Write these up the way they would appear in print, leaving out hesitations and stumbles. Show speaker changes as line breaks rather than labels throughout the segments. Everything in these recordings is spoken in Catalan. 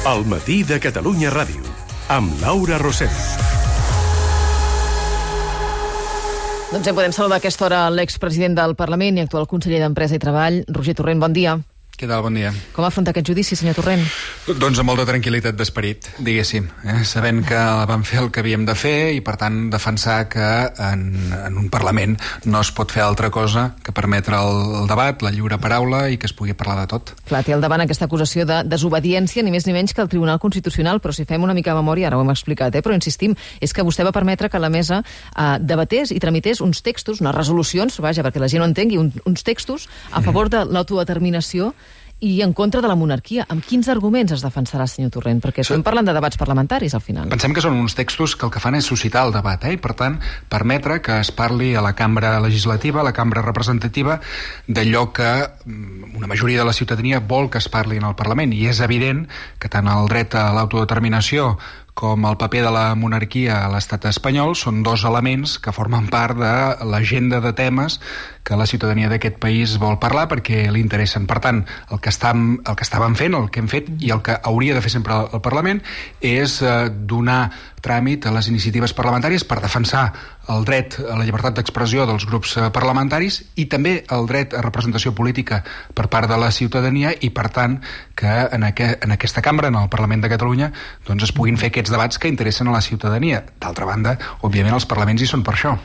El matí de Catalunya Ràdio, amb Laura Rosell.
Doncs ja podem saludar a aquesta hora l'expresident del Parlament i actual conseller d'Empresa i Treball, Roger Torrent. Bon dia.
Què tal? Bon dia.
Com afronta aquest judici, senyor Torrent?
Doncs amb molta tranquil·litat d'esperit, diguéssim. Sabent que vam fer el que havíem de fer i, per tant, defensar que en un Parlament no es pot fer altra cosa que permetre el debat, la lliure paraula i que es pugui parlar de tot.
Clar, té al davant aquesta acusació de desobediència, ni més ni menys que el Tribunal Constitucional, però si fem una mica de memòria, ara ho hem explicat, però insistim, és que vostè va permetre que la mesa debatés i tramités uns textos, unes resolucions, vaja, perquè la gent ho entengui, uns textos a favor de l'autodeterminació i en contra de la monarquia. Amb quins arguments es defensarà, senyor Torrent? Perquè estem parlant de debats parlamentaris, al final.
Pensem que són uns textos que el que fan és suscitar el debat, i per tant permetre que es parli a la cambra legislativa, a la cambra representativa, d'allò que una majoria de la ciutadania vol que es parli en el Parlament. I és evident que tant el dret a l'autodeterminació com el paper de la monarquia a l'estat espanyol són dos elements que formen part de l'agenda de temes que la ciutadania d'aquest país vol parlar perquè li interessen. Per tant, el que estàvem fent, el que hem fet i el que hauria de fer sempre el Parlament és donar tràmit a les iniciatives parlamentàries per defensar el dret a la llibertat d'expressió dels grups parlamentaris i també el dret a representació política per part de la ciutadania i, per tant, que en aquesta cambra, en el Parlament de Catalunya, doncs es puguin fer aquests debats que interessen a la ciutadania. D'altra banda, òbviament, els parlaments hi són per això.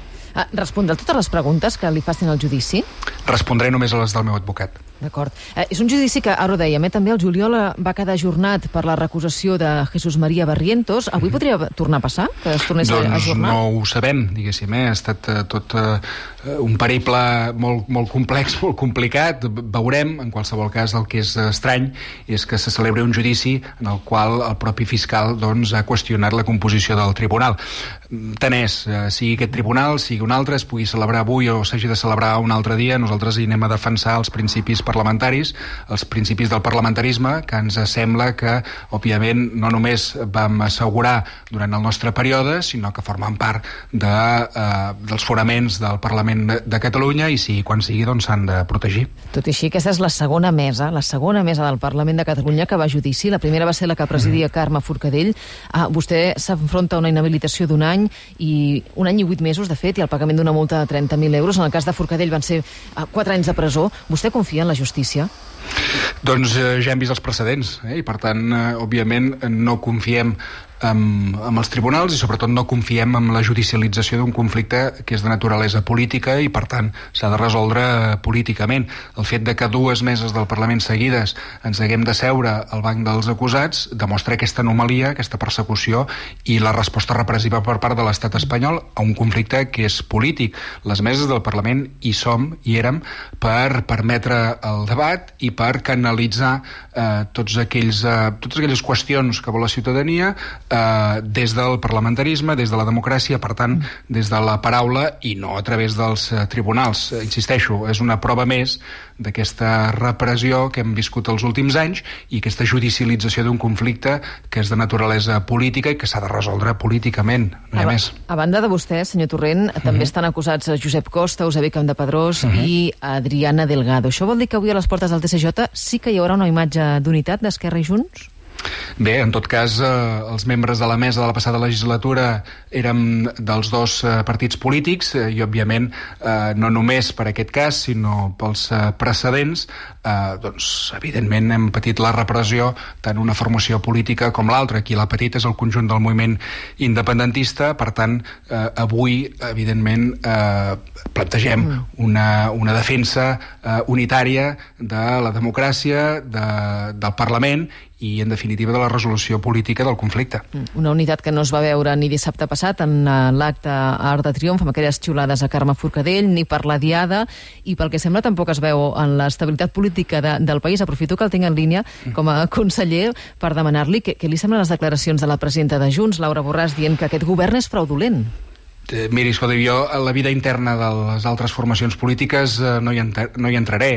Respondrà totes les preguntes que li facin al judici?
Respondré només a les del meu advocat.
D'acord. És un judici que, ara ho dèiem, també el juliol va quedar ajornat per la recusació de Jesús María Barrientos. Avui podria tornar a passar? Que es tornés a ajornar?
No ho sabem, diguéssim. Ha estat tot un periple molt complex, molt complicat. Veurem, en qualsevol cas, el que és estrany és que se celebri un judici en el qual el propi fiscal ha qüestionat la composició del tribunal. Tant és, sigui aquest tribunal, sigui un altre, es pugui celebrar avui o s'hagi de celebrar un altre dia, nosaltres hi anem a defensar els principis parlamentaris, els principis del parlamentarisme, que ens sembla que, òbviament, no només vam assegurar durant el nostre període, sinó que formen part dels fonaments del Parlament de Catalunya i quan sigui, doncs s'han de protegir.
Tot i així, aquesta és la segona mesa del Parlament de Catalunya que va a judici. La primera va ser la que presidia Carme Forcadell. Vostè s'enfronta a una inhabilitació d'un any i 1 any i 8 mesos, de fet, i el pagament d'una multa de 30.000 euros. En el cas de Forcadell van ser 4 anys de presó. Vostè confia en la justícia?
Doncs ja hem vist els precedents, i per tant, òbviament, no confiem amb els tribunals i sobretot no confiem en la judicialització d'un conflicte que és de naturalesa política i per tant s'ha de resoldre políticament. El fet de que 2 meses del Parlament seguides ens haguem de seure al banc dels acusats demostra aquesta anomalia, aquesta persecució i la resposta repressiva per part de l'estat espanyol a un conflicte que és polític. Les meses del Parlament hi érem per permetre el debat i per canalitzar totes aquelles qüestions que vol la ciutadania des del parlamentarisme, des de la democràcia, per tant, des de la paraula i no a través dels tribunals. Insisteixo, és una prova més d'aquesta repressió que hem viscut els últims anys i aquesta judicialització d'un conflicte que és de naturalesa política i que s'ha de resoldre políticament, no hi ha més.
A banda de vostè, senyor Torrent, també estan acusats Josep Costa, Eusebi Campdepadrós i Adriana Delgado. Això vol dir que avui a les portes del TSJ sí que hi haurà una imatge d'unitat d'Esquerra i Junts?
Bé, en tot cas, els membres de la mesa de la passada legislatura érem dels dos partits polítics i, òbviament, no només per aquest cas, sinó pels precedents, doncs, evidentment, hem patit la repressió tant una formació política com l'altra. Qui l'ha patit és el conjunt del moviment independentista. Per tant, avui, evidentment, plantegem una defensa unitària de la democràcia, del Parlament i, en definitiva, de la resolució política del conflicte.
Una unitat que no es va veure ni dissabte passat en l'acte Arc de Triomf, amb aquelles xiulades a Carme Forcadell, ni per la Diada, i pel que sembla tampoc es veu en l'estabilitat política del país. Aprofito que el tinc en línia com a conseller per demanar-li què li semblen les declaracions de la presidenta de Junts, Laura Borràs, dient que aquest govern és fraudulent.
Miri, escolta, jo a la vida interna de les altres formacions polítiques no hi entraré.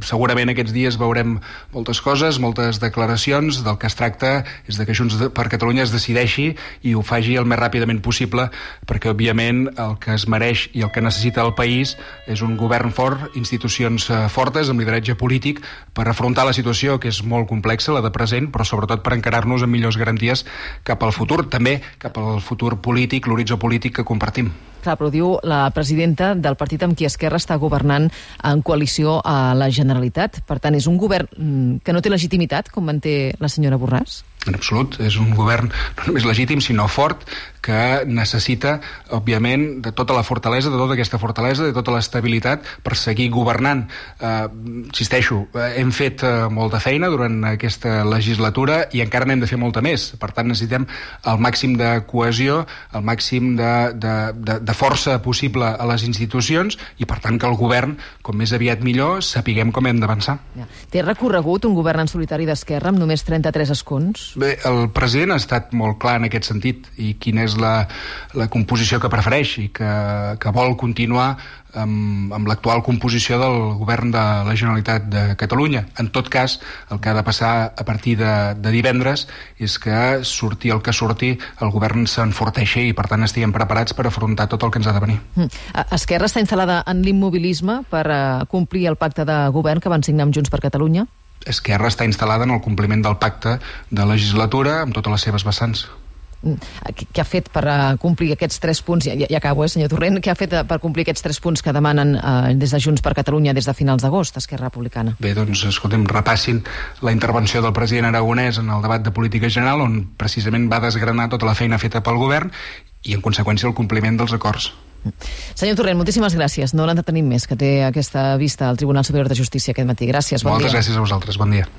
Segurament aquests dies veurem moltes coses, moltes declaracions. Del que es tracta és de que Junts per Catalunya es decideixi i ho faci el més ràpidament possible, perquè òbviament el que es mereix i el que necessita el país és un govern fort, institucions fortes, amb lideratge polític, per afrontar la situació, que és molt complexa, la de present, però sobretot per encarar-nos amb millors garanties cap al futur, també cap al futur polític, l'horitzó polític que compartim.
Clar, però diu la presidenta del partit amb qui Esquerra està governant en coalició a la Generalitat. Per tant, és un govern que no té legitimitat, com manté la senyora Borràs?
En absolut, és un govern no només legítim, sinó fort, que necessita, òbviament, de tota la fortalesa, de tota aquesta fortalesa, de tota l'estabilitat per seguir governant. Insisteixo, hem fet molta feina durant aquesta legislatura i encara n'hem de fer molta més. Per tant, necessitem el màxim de cohesió, el màxim de força possible a les institucions i, per tant, que el govern, com més aviat millor, sapiguem com hem d'avançar.
Ja. Té recorregut un govern en solitari d'Esquerra amb només 33 escons?
Bé, el president ha estat molt clar en aquest sentit i quina és la composició que prefereix i que vol continuar amb l'actual composició del govern de la Generalitat de Catalunya. En tot cas, el que ha de passar a partir de divendres és que surti el que surti, el govern s'enforteixi i per tant estiguem preparats per afrontar tot el que ens ha de venir.
Esquerra està instal·lada en l'immobilisme per complir el pacte de govern que van signar amb Junts per Catalunya?
Esquerra està instal·lada en el compliment del pacte de legislatura amb totes les seves vessants.
Què ha fet per complir aquests 3 punts? Ja acabo, senyor Torrent. Què ha fet per complir aquests 3 punts que demanen des de Junts per Catalunya des de finals d'agost, Esquerra Republicana?
Bé, doncs, escoltem, repassin la intervenció del president aragonès en el debat de política general, on precisament va desgranar tota la feina feta pel govern i, en conseqüència, el compliment dels acords.
Senyor Torrent, moltíssimes gràcies. No l'entretenim més, que té aquesta vista al Tribunal Superior de Justícia aquest matí. Gràcies, bon dia.
Moltes gràcies a vosaltres, bon dia.